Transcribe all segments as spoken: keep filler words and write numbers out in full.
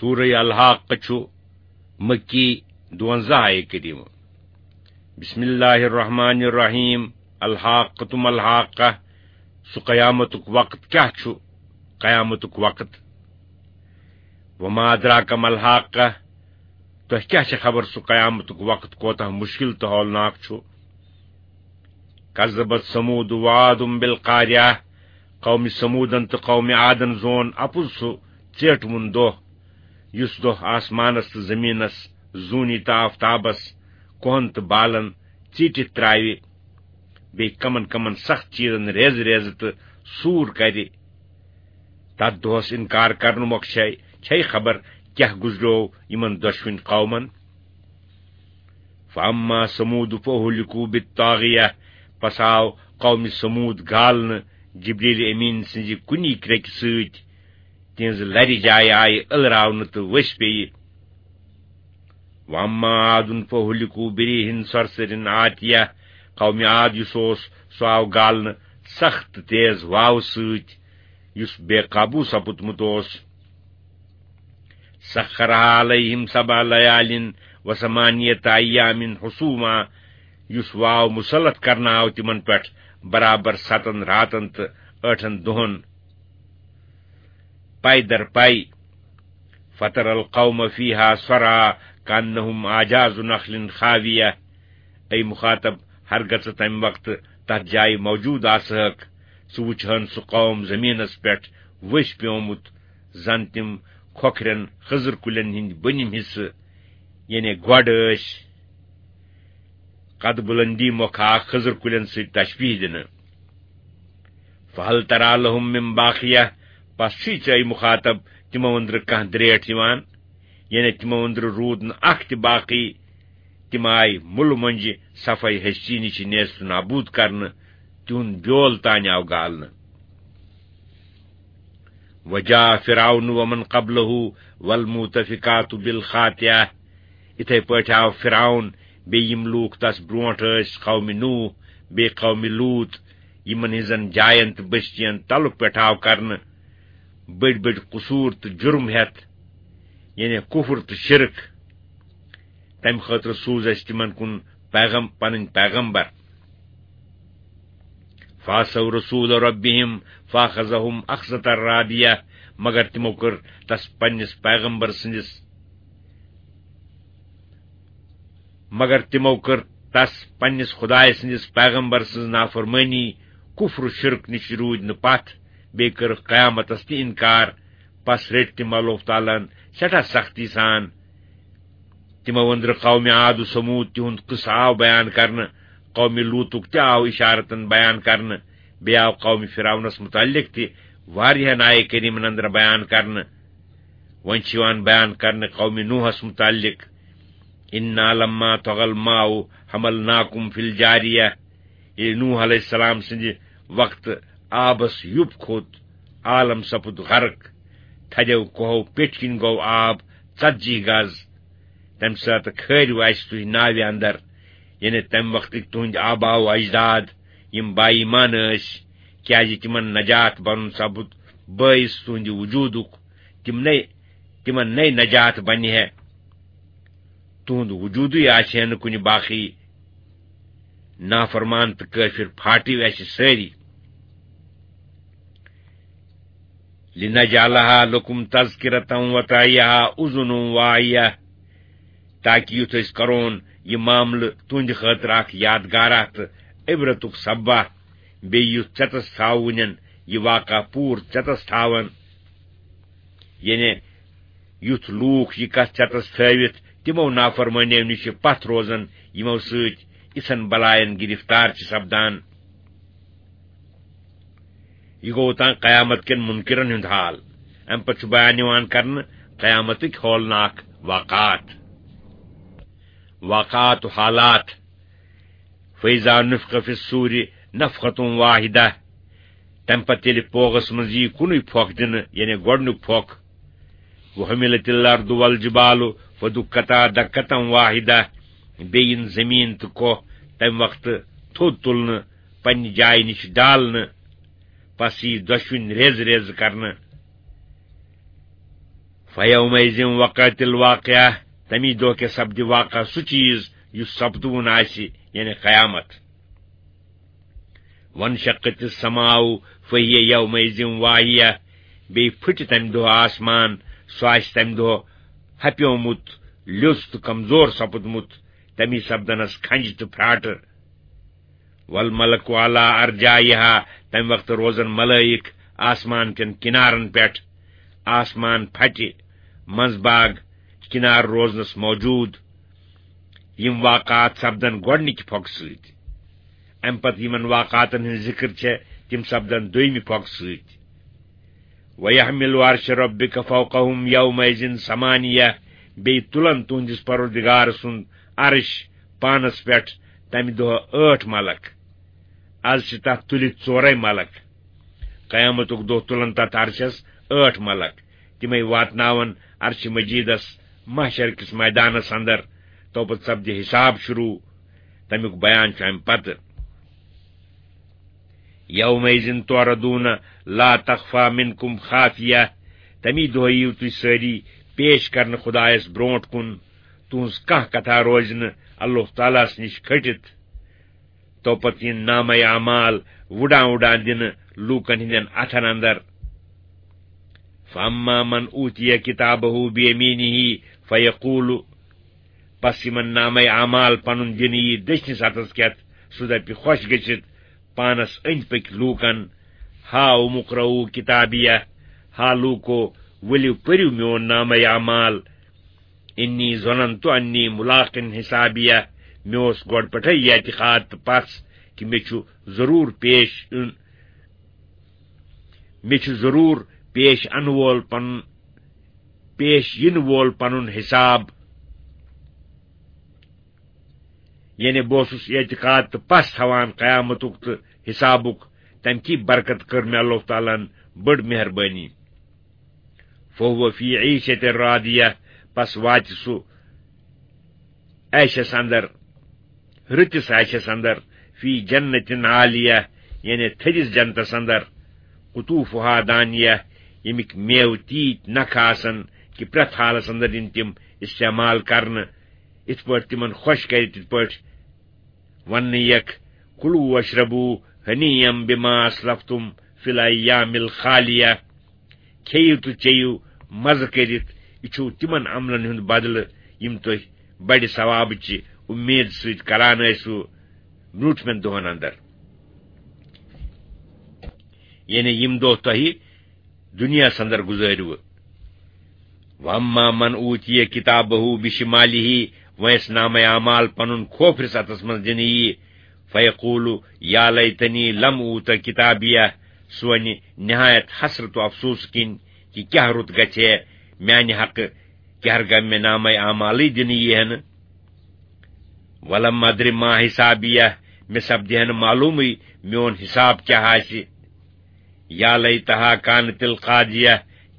سورہ الحاقہ چھُ مکی، دُوَنزاہ آیہِ کریمہ۔ بسم اللہ الرحمن الرحیم۔ الحاقۃ ما الحاقہ، سُہ قیامتُک وقت کیاہ چھُ؟ قیامتُک وقت۔ وما ادراک ما الحاقہ، تۄہہِ کیاہ چھِ خبر سُہ قیامتُک وقت کوتاہ مُشکِل تہٕ ہولناک چھُ؟ کذبت ثمود وعاد بالقاریہ، قوم ثمودن تہٕ قوم عادن زون اپُز سُہ ژیٹوُن دۄہ، یُس دۄہ آسمانس تہٕ زمینس، زوٗنہِ تہٕ آفتابس، کوہن تہٕ بالن ژیٖٹِتھ تراوِ، بیٚیہِ کمن کمن سخت چیٖزن ریزٕ ریزٕ تہٕ سوٗر کرِ۔ تتھ دۄہس انکار کرنہٕ مۄکھ چھے، چھے خبر کیاہ گُزریو یِمن دۄشوٕنۍ قومن۔ فاما ثمود فاہلکوا بالطاغیہ، پس آو قوم ثمود گالنہٕ جبریل امین سٕنزِ کُنی کرٛیکہِ سۭتۍ۔ تِہنزٕ لرِ جایہِ آیہِ ٲلراونہٕ تہٕ ؤسۍ پیٚیہِ۔ واما عاد فاہلکوا بریح صرصر عاتیہ، قوم عاد یُس اوس، سُہ آو گالنہٕ سخت تیز واوٕ سۭتۍ، یُس بے قابو سپُدمُت اوس۔ سخرها علیہم سبع لیال وثمانیۃ ایام حسوما، یُس واو مسلط کرنہٕ آو تِمن پٮ۪ٹھ برابر ستن راتن تہٕ ٲٹھن دۄہن۔ پے در پے۔ فترى القوم فيها صرعى كأنهم أعجاز نخل خاوية۔ اے مخاطب، ہرگژٕ تمہِ وقتہٕ تتھ جایہِ موجود آسہکھ، ژٕ وُچھہن سُہ قوم زمینس پٮ۪ٹھ ؤسۍ پیومُت، زن تِم کھوکھرٮ۪ن خٔزٕر کُلٮ۪ن ہٕنٛدۍ بٔنِم حصہٕ، یعنی گۄڈٕ ٲسۍ۔ قد بلندی مۄکھٕ آکھ خٔزٕر کُلٮ۪ن سۭتۍ تشبیہ دِنہٕ۔ فہل ترى لهم من باقیہ، پس چھُے ژےٚ مخاطب تِمو أنٛدرٕ کانٛہہ درٛیٹھ یِوان؟ یعنی تِمو أنٛدرٕ روٗد نہٕ اکھ تہِ باقی۔ تِم آیہِ مُلہٕ مۄنجہِ صفائی ہستی نِش نیست و نابود کرنہٕ، تِہُنٛد بیول تانۍ آو گالنہٕ۔ وجاء فرعون ومن قبله والمؤتفكات بالخاطئة۔ اِتھے پٲٹھۍ آو فرعون بیٚیہِ یِم لوٗکھ تس برونٛٹھ ٲسۍ، قوم نوح، بیٚیہِ قوم لوط، یِمن ہٕنٛزن جاین تہٕ بستین تلُک پٹھاو کرنہٕ، بٔڑۍ بٔڑۍ قصوٗر تہٕ جُرم ہٮ۪تھ، یعنی کفر تہٕ شرک۔ تمہِ خٲطرٕ سوٗز اَسہِ تِمن کُن پیغم-، پنٕنۍ پیغمبر۔ فعصوا رسول ربهم فأخذهم أخذة رابية، مگر تِمو کٔر تس پننِس پیغمبر سٕنٛدِس، مگر تِمو کٔر تس پننِس خدایہِ سٕنٛدِس پیغمبر سٕنٛز نافرمٲنی، کفر و شرک نِش روٗدۍ نہٕ پتھ، بیٚیہِ کٔرٕکھ قیامتس تہِ انکار۔ پس رٔٹۍ تِم اللہ تعالیٰ ہن سٮ۪ٹھاہ سختی سان۔ تِمو أنٛدرٕ قومِ عاد و ثمود تِہُنٛد قصہٕ آو بیان کرنہٕ، قومِ لوٗطُک تہِ آو اِشارتن بیان کرنہٕ، بیٚیہِ آو قومِ فرعونس متعلق تہِ واریاہن آیہِ کریٖمن اندر بیان کرنہٕ۔ وۄنۍ چھُ یِوان بیان کرنہٕ قومِ نوحس متعلق، "إنا لما طغى الماء حملناكم في الجارية"۔ ییٚلہِ نوح علیہ السلام سٕنٛدِ وقتہٕ آبس یُپ کھوٚت، عالم سپُد غرق، تھدیو کوہو پیٚٹھۍ کِنۍ گوٚو آب ژتجی گز۔ تمہِ ساتہٕ کھٲرِو اسہِ تُہۍ ناوِ اندر، یعنی تمہِ وقتٕکۍ تُہنٛدۍ آبا و اجداد، یِم با ایمان ٲسۍ، کیازِ تِمن نجات بنُن سپُد بٲعث تُہنٛدِ وجوٗدُک۔ تِم نے، تِمن نے نجات بنہِ ہے۔ تُہُنٛد وجوٗدٕے آسہِ ہے نہٕ کُنہِ باقی۔ نافرمان تہٕ کٲفِر پھاٹِو اَسہِ سٲری۔ لِنَجْعَلَهَا لَكُمْ تَذْكِرَةً وَتَعِيَهَا أُذُنٌ وَاعِيَةٌ، تاکہِ یُتھ أسۍ کرون یہِ معاملہٕ تُہنٛدِ خٲطرٕ اکھ یادگارہ تہٕ عبرتُک سببہ، بیٚیہِ یُتھ ژٮ۪تس تھاوٕنٮ۪ن یہِ واقعہ پوٗرٕ ژٮ۪تس تھاون۔ یعنی یُتھ لوٗکھ یہِ کتھ ژٮ۪تس تھٲوِتھ تِمو نافرمٲنیو نِش پتھ روزن، یِمو سۭتۍ یِژھن بلاین گرفتار چھِ سپدان۔ یہِ گوٚو تام قیامت کٮ۪ن منکرن ہُنٛد حال۔ امہِ پتہٕ چھُ بیان یِوان کرنہٕ قیامتٕکۍ ہولناک واقعات۔ واقعات و حالات۔ فَإِذَا نُفِخَ فِي الصُّورِ نَفْخَةٌ وَاحِدَةٌ۔ تمہِ پتہٕ ییٚلہِ پوغس منٛز یی کُنُے پھۄکھ دِنہٕ، یعنی گۄڈنیُک پھۄکھ، وَحُمِلَتِ الْأَرْضُ وَالْجِبَالُ فَدُكَّتَا دَكَّةً وَاحِدَةً، بیٚیہِ یِن زٔمیٖن تہٕ کوہ تمہِ وقتہٕ تھوٚد تُلنہٕ، پننہِ جایہِ نِش ڈالنہٕ، پس یی دۄشوٕنۍ ریزٕ ریزٕ کرنہٕ۔ فیومئذ وقعت الواقعہ، تمی دۄہ کیٛاہ سپدِ واقعہ، سُہ چیٖز یُس سپدوُن آسہِ، یعنی قیامت۔ وانشقت السماء فہی یومئذ واہیہ، بیٚیہِ پھٕٹہِ تمہِ دۄہ آسمان، سُہ آسہِ تمہِ دۄہ ہپیومُت، لیوٚژ تہٕ کمزور سپُدمُت، تمی سپدنس کھنجہِ تہٕ پھراٹہٕ۔ والملک علی ارجائها، تمہِ وقتہٕ روزن ملائک آسمان کٮ۪ن کنارن پٮ۪ٹھ۔ آسمان پھٹہِ، منٛز باگ کنار روزنس موجود۔ یِم واقعات سپدن گۄڈنِکہِ پھۄکہٕ سۭتۍ۔ امہِ پتہٕ یِمن واقعاتن ہٕنٛز ذکر چھےٚ، تِم سپدن دوٚیمہِ پھۄکہٕ سۭتۍ۔ وَيَحْمِلُ عَرْشَ رَبِّكَ فَوْقَهُمْ يَوْمَئِذٍ ثَمَانِيَةٌ، بیٚیہِ تُلن تُہنٛدِس پروردگار سُنٛد عرش پانس پٮ۪ٹھ تمہِ دۄہ ٲٹھ ملک۔ از چھِ تتھ تُلِتھ ژورے ملک۔ قیامتُک دۄہ تُلن تتھ عرشس ٲٹھ ملک۔ تِمے واتناون عرش مجیدس محشر کِس میدانس اندر۔ تو پتہٕ سپدِ حساب شروع۔ تمیُک بیان چھُ امہِ پتہٕ۔ یومئذ تعرضون لا تخفی منکم خافیہ، تمی دۄہ یِیِو تُہۍ سٲری پیش کرنہٕ خدایس برونٹھ کُن، تُہنٛز کانٛہہ کتھا روزِ نہٕ اللہ تعالیٰ ہس نِش کھٔٹِتھ۔ تو پتہٕ یِن نامہ اعمال وُڈان وُڈان دِنہٕ لوٗکن ہٕنٛدٮ۪ن اتھن اندر۔ فاما من اوتی کتابہ بیمینہ فیقول، پس یِمن نامہ اعمال پنُن دِنہٕ یی دٔچھنِس اتھس کٮ۪تھ، سُہ دپہِ خۄش گٔژھِتھ پانس أنٛدۍ پٔکۍ لوٗکن، ہاؤم اقرءوا کتابیہ، ہا لوٗکو، ؤلِو پٔرِو میون نامہ اعمال، انی ظننت انی ملاق حسابیہ، مےٚ اوس گۄڈٕ پٮ۪ٹھے یہِ اعتقاد تہٕ پژھ کہِ مےٚ چھُ ضروٗر پیش یُن، مےٚ چھُ ضروٗر پیش انہٕ وول پنُن، پیش یِنہٕ وول پنُن حساب۔ یعنی بہٕ اوسُس اعتقاد تہٕ پژھ تھاوان قیامتُک تہٕ حسابُک، تمہِ کی برکت کٔر مےٚ اللہ تعالیٰ ہن بٔڑ مہربٲنی۔ فہو فی عیشۃ راضیہ، پس واتہِ سُہ عیشس اندر، رٕتِس عیشس اندر، فی جنت عالیہ، یعنی تھٔدِس جنتس اندر، قطوفہا دانیہ، ییٚمِکۍ میوٕ تیٖتۍ نکھٕ آسن کہِ پرٛٮ۪تھ حالس اندر یِن تِم استعمال کرنہٕ، یِتھ پٲٹھۍ تِمن خۄش کرِ تِتھ پٲٹھۍ۔ وننہٕ یک، کُلو واشربو ہنیئم بما اسلفتم فی الایام الخالیہ، کھیٚیِو تہٕ چیٚیِو مزٕ کٔرِتھ، یہِ چھُو تِمن عملن ہُنٛد بدلہٕ یِم تُہۍ بڑِ ثوابٕچہِ اُمید سۭتۍ کران ٲسِو برٛونٛٹھمٮ۪ن دۄہن اندر، یعنی یِم دۄہ تۄہہِ دُنیاہس اندر گُزٲرِوٕ۔ واما من اوتی کتابہ بشمالہ، وۄنۍ یس نامہ اعمال پنُن کھوفرِس اتھس منٛز دِنہٕ یی، فیقول یا لیتنی لم اوت کتابیہ، سُہ ونہِ نہایت حسرت و افسوس کِنۍ کہِ کیاہ رُت گژھِ ہے میانہِ حقہٕ، کیاہ گوٚو مےٚ نامہ اعمالٕے دِنہٕ یی ہے نہٕ۔ ولم ادر ما حسابیہ، مےٚ سپدِ ہے نہٕ معلومٕے میون حساب کیاہ آسہِ۔ یا لیتہا کانت القاضیہ،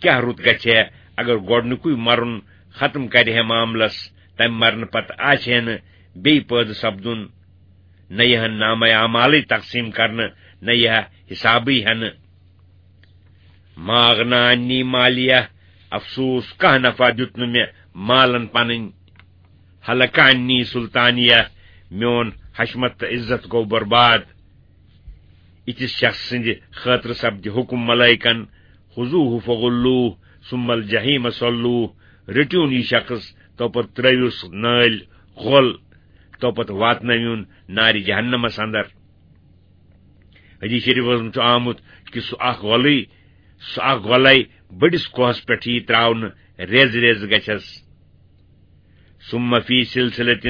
کیاہ رُت گژھِ ہے اگر گۄڈنیُکُے مرُن ختم کرِ ہے معاملس، تمہِ مرنہٕ پتہٕ آسہِ ہے نہٕ بیٚیہِ پٲدٕ سپدُن، نہ یِہن نامہ اعمالٕے تقسیم کرنہٕ، نہ یِہا حسابٕے ہٮ۪نہٕ۔ ما اغنی عنی مالیہ، افسوس، کانٛہہ نفع دیُت نہٕ مےٚ مالن پنٕنۍ۔ ہلک عنی سلطانیہ، میون حشمت تہٕ عزت گوٚو برباد۔ یِتھِس شخص سٕنٛدِ خٲطرٕ سپدِ حُکم ملائکن، خذوہ فغلوہ ثم الجحیم صلوہ، رٔٹِوُن یہِ شخص، تو پتہٕ ترٲوِو سُہ نٲلۍ غۄل، تو پتہٕ واتنٲوِوُن نارِ جہنمس اندر۔ حدیث شریفس منٛز چھُ آمُت کہِ سُہ اکھ غۄلٕے، سُہ اکھ غۄلے بٔڑِس کوہس پٮ۪ٹھ یی تراونہٕ، ریزٕ ریزٕ گژھٮ۪س۔ ثم فی سلسلۃ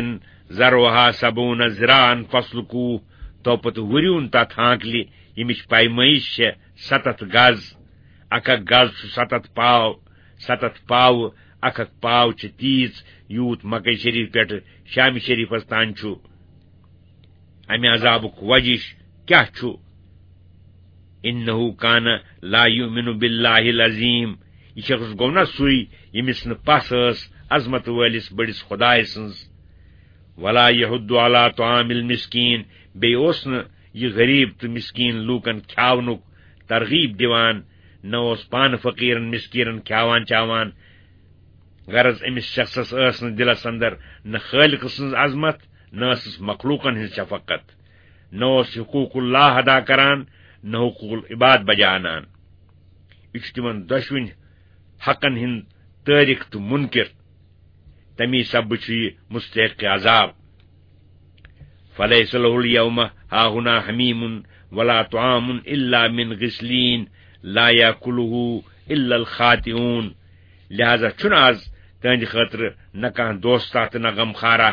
ذرعها سبعون ذراعا فاسلکوہ، تو پتہٕ وُریوُن تتھ ہانکلہِ، ییٚمِچ پیمٲیش چھےٚ ستتھ گز۔ اکھ اکھ گز چھُ ستتھ پاو، ستتھ پاوٕ، اکھ اکھ پاو چھِ تیٖژ، یوٗت مکہ شریف پٮ۪ٹھٕ شام شریفس تام چھُ۔ امہِ عذابُک وجہ کیاہ چھُ؟ انہ کان لا یؤمن باللہ العظیم، یہِ شخص گوٚو نا سُے ییٚمِس نہٕ پژھ ٲس عظمت وٲلِس بٔڑِس خدایہِ سٕنٛز۔ ولا یحض علی طعام المسکین، بیٚیہِ اوس نہٕ یہِ غریب تہٕ مسکین لوٗکن کھیاونُک ترغیب دِوان، نہ اوس پانہٕ فقیرن مسکیرن کھیاوان چاوان، غرض، أمِس شخصس ٲس نہٕ دِلس اندر نہ خالق سٕنٛز عظمت، نہ ٲسٕس مخلوقن ہٕنٛز شفقت، نہ اوس حقوق اللہ ادا کران، نہ حقوق العباد بجا انان۔ یہِ چھُ تِمن دۄشوٕنۍ حقن ہُنٛد تٲرِک تہٕ مُنکِر۔ تَمی سببہٕ چھُ یہِ مستحق عذاب۔ فلیس لہ الیوم ہاہنا حمیم ولا طعام الا من غسلین لا یاکلہ الا الخاطئون۔ لہذا چھُنہٕ آز تہنٛدِ خٲطرٕ نہ کانٛہہ دوستہ تہٕ نہ غمخارہ،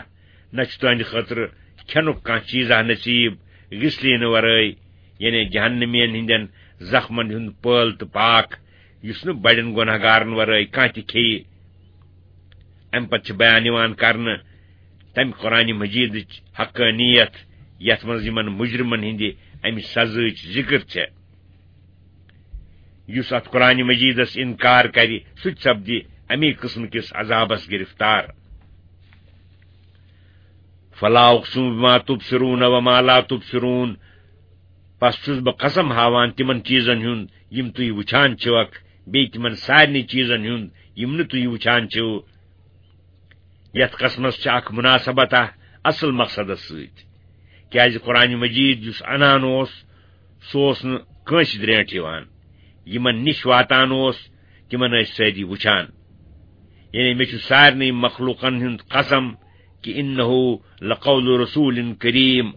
نہ چھُ تہنٛدِ خٲطرٕ کھٮ۪نُک کانٛہہ چیزہ نصیب غسلینہٕ ورٲے، یعنی جہنمین ہٕنٛدٮ۪ن زخمن ہُنٛد پٲل تہٕ پاک، یُس نہٕ بڑٮ۪ن گۄناہگارن ورٲے کانٛہہ تہِ کھیٚیہِ۔ امہِ پتہٕ چھِ بیان یِوان کرنہٕ تمہِ قرآن مجیدٕچ حقانیت، یتھ منٛز یِمن مجرمن ہٕنٛدِ امہِ سزاہٕچ ذکر چھےٚ۔ یُس اتھ قرآن مجیدس انکار کرِ، سُہ تہِ سپدِ امی قٕسمہٕ کِس عذابس گرفتار۔ فلا اقسم بما تبصرون وما لا تبصرون۔ پس چھُس بہٕ قسم ہاوان تِمن چیزن ہُنٛد یِم تُہۍ وُچھان چھِوکھ، بیٚیہِ تِمن سارنٕے چیزن ہُنٛد یِم نہٕ تُہۍ وُچھان چھِو۔ یتھ قسمس چھِ اکھ مناسبت اکھ اصل مقصدس سۭتۍ، کیازِ قرآن مجید یُس انان اوس، سُہ اوس نہٕ کٲنٛسہِ درینٹھ یِوان۔ یِمن نِش واتان اوس، تِمن ٲسۍ سٲری وُچھان۔ یعنی مےٚ چھُ سارنٕے مخلوقن ہُنٛد قسم کہِ انہ لقول رسول کریم۔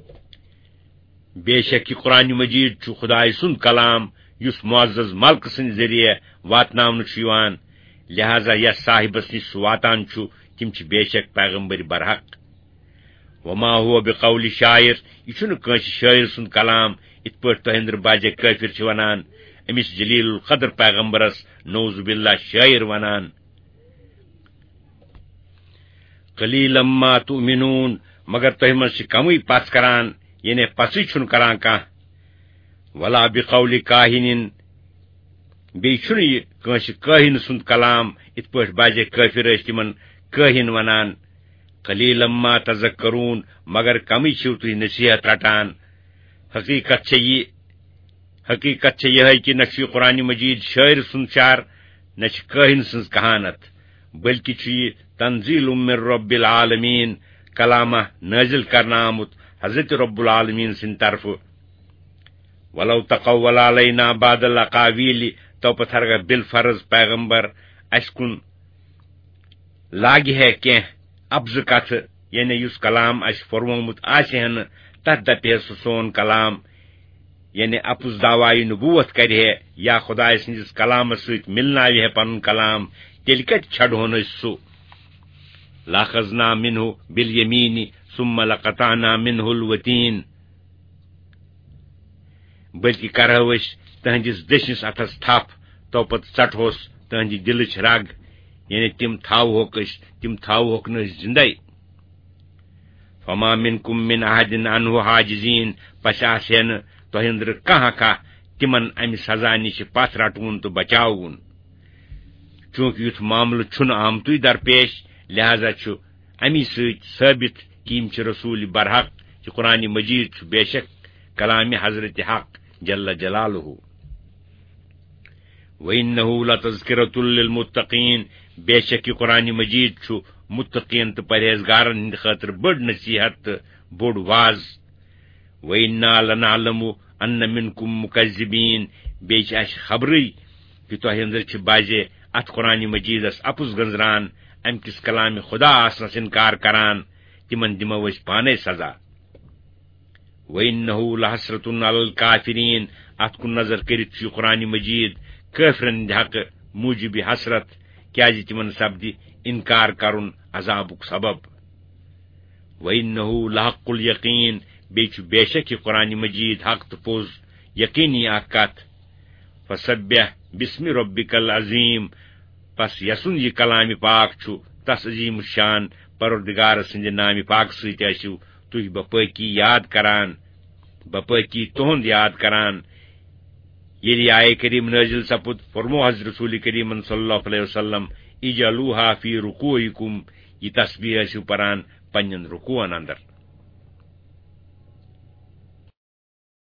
بے شک یہِ قرآن مجید چھُ خدایہِ سُنٛد کلام، یُس معزز ملکہٕ سٕنٛدِ ذٔریعہٕ واتناونہٕ چھُ یِوان، لہذا یتھ صاحبس نِش سُہ واتان چھُ، تِم چھِ بے شک پیغمبر برحق۔ وما هو بقول شاعر، یہِ چھُنہٕ کٲنٛسہِ شٲعر سُنٛد کلام، یِتھ پٲٹھۍ تۄہہِ أنٛدرٕ بعضے کٲفر چھِ ونان، أمِس جلیل القدر پیغمبرس نعوذ باللہ شٲعر ونان۔ قلیلا ما تؤمنون، مگر تۄہہِ منٛز چھِ کمٕے پژھ کران، یعنی پژھٕے چھُنہٕ کران کانٛہہ۔ ولا بقول کاہن، بیٚیہِ چھُنہٕ یہِ کٲنٛسہِ کٲہِن سُنٛد کلام، یِتھ پٲٹھۍ بعضے کٲفر ٲسۍ تِمن کٲہِن ونان۔ قلیلا ما تذکرون، مگر کمٕے چھِو تُہۍ نصیحت رٹان۔ حقیقت چھےٚ یہِ، حقیقت چھےٚ یِہے کہِ نہ چھُ یہِ قرآن مجید شٲعر سُنٛد شعر، نہ چھِ کٲہِن سٕنٛز کہانت، بلکہِ چھُ یہِ تنزیل من رب العالمین، کلامہ نٲزِل کرنہٕ آمُت حضرت رب العالمین سٕنٛدِ طرفہٕ۔ ولو تقول علینا بعض الاقاویل، تو پتہٕ ہرگاہ بالفرض پیغمبر اسہِ کُن لاگہِ ہے کینٛہہ اپزٕ کتھٕ، یعنی یُس کلام اسہِ پوٚرمُت آسہِ ہے نہٕ، تتھ دپہِ ہے سُہ سون کلام، یعنی اپُز دعوایہِ نبوت کرِ ہے یا خدایہِ سٕنٛدِس کلامس سۭتۍ مِلناوِ ہے پنُن کلام، تیٚلہِ کتہِ چھڑہون أسۍ سُہ؟ لأخذنا منه باليمين ثم لقطعنا منه الوتين۔ بلکہِ کرہو أسۍ تہنٛدِس دٔچھنِس اتھس تھپھ، تو پتہٕ ژٹہوس تہنٛدِ دِلٕچ رگ، یعنی تِم تھاوہوکھ أسۍ، تِم تھاوہوکھ نہٕ أسۍ زندے۔ فما منكم من أحد عنه حاجزين، پس آسہِ ہے نہٕ تۄہہِ أنٛدرٕ کانٛہہ اکھا تِمن امہِ سزا نِش پتھ رٹوُن تہٕ بچاوُن۔ چونکہ یُتھ معاملہٕ چھُنہٕ آمتُے درپیش، لہذا چھُ امی سۭتۍ ثٲبت کہِ یِم چھِ رسول برحق، یہِ قرآن مجید چھُ بے شک کلام حضرت حق جل جلالہ۔ وَإِنَّهُ لَتَذْكِرَةٌ لِلْمُتَّقِينَ، بے شک یہِ قرآن مجید چھُ متقین تہٕ پرہیزگارن ہٕنٛدِ خٲطرٕ بٔڑ نصیحت تہٕ بوٚڑ واز۔ وَإِنَّا لَنَعْلَمُ أَنَّ مِنْكُمْ مُكَذِّبِينَ، بیٚیہِ چھِ اَسہِ خبرٕے کہِ تۄہہِ أنٛدرٕ چھِ بعضے اَتھ قرآن مجیدس اَپُز گٔنٛزران، اَمہِ کِس کلامِ خدا آسنس اِنکار کران، تِمن دِمو أسۍ پانے سزا۔ وَإِنَّهُ لَحَسْرَةٌ عَلَى الْكَافِرِينَ، اَتھ کُن نظر کٔرِتھ چھُ یہِ قرآن مجید کٲفرن ہٕنٛدِ حقہٕ موجب حسرت، کیازِ تِمن سپدِ اِنکار کرُن عذابُک سبب۔ وَإِنَّهُ لَحَقُّ الْيَقِينِ، بیٚیہِ چھُ بے شک یہِ قرآن مجید حق تہٕ پوٚز، یقینی اکھ کتھ۔ فَسَبِّحْ بِاسْمِ رَبِّكَ الْعَظِيمِ، پس یسُنٛد یہِ کلام پاک چھُ، تس عظیم الشان پروردگار سٕنٛدِ نامِ پاک سۭتۍ ٲسِو تُہۍ بپٲکی یاد کران، بپٲکی تُہُنٛد یاد کران۔ ییٚلہِ یہِ آیہِ کریم نٲزِل سپُد، فرموو حضرت رسول کریمن صلی اللہ علیہ وسلم، اجعلوها فی رکوعکم، یہِ تسبیح ٲسِو پران پننٮ۪ن رکوعن اندر۔